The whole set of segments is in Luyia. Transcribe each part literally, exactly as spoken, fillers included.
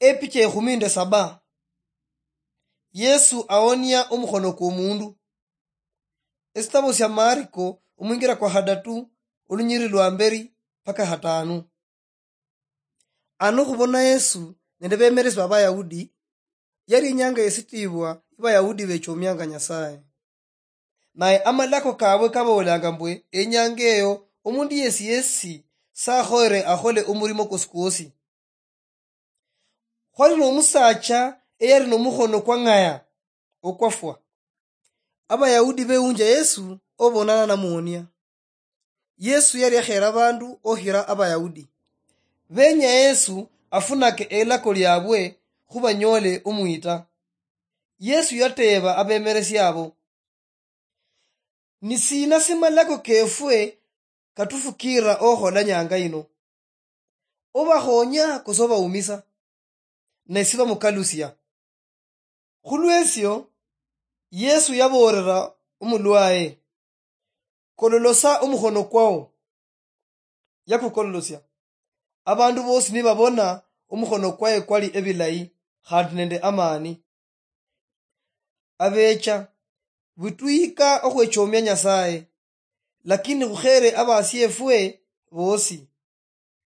Epicha ekhumi nde saba. Yesu aonia omukhono kwomundu. Esitabo sia Mariko omwingira kwa khadatu, olunyiri lwa mberi paka hatanu. Ano khubona Yesu nende bemeresi ba Bayahudi, yali inyanga yesitibwa Bayahudi bechomianga Nyasaye. Naye amalako kabwe kaboolanga mbwe enyanga eyo omundu yesi yesi sakhoere akhole omurimo kwosi kwosi. Khwali nomusaacha eyali nomukhono kwang'aya okwafwa. Abayahudi bewunja Yesu obonana namuonia. Yesu yali akhera abandu okhira Abayahudi. Benya Yesu afunake elako liabwe khubanyole omwita. Yesu yateeba abemeresi abo, "Ni sina simalako kefwe katufukiira okhola nyanga yino? Obakhonya kose obaumisa?" Ne sibamukalusia. Khulwesio, Yesu yaboolera omulwaye, "Kololosa omukhono kwao." Yakukololosia. Abandu bosi nibabona omukhono kwaye kwali ebilayi khandi nende amani. Abecha, butwika okhwechomia Nyasaye, lakini khukhere abasiefwe bosi.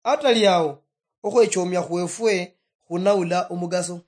Atali ao, okhwechomia khwefwe khunaula omugaso.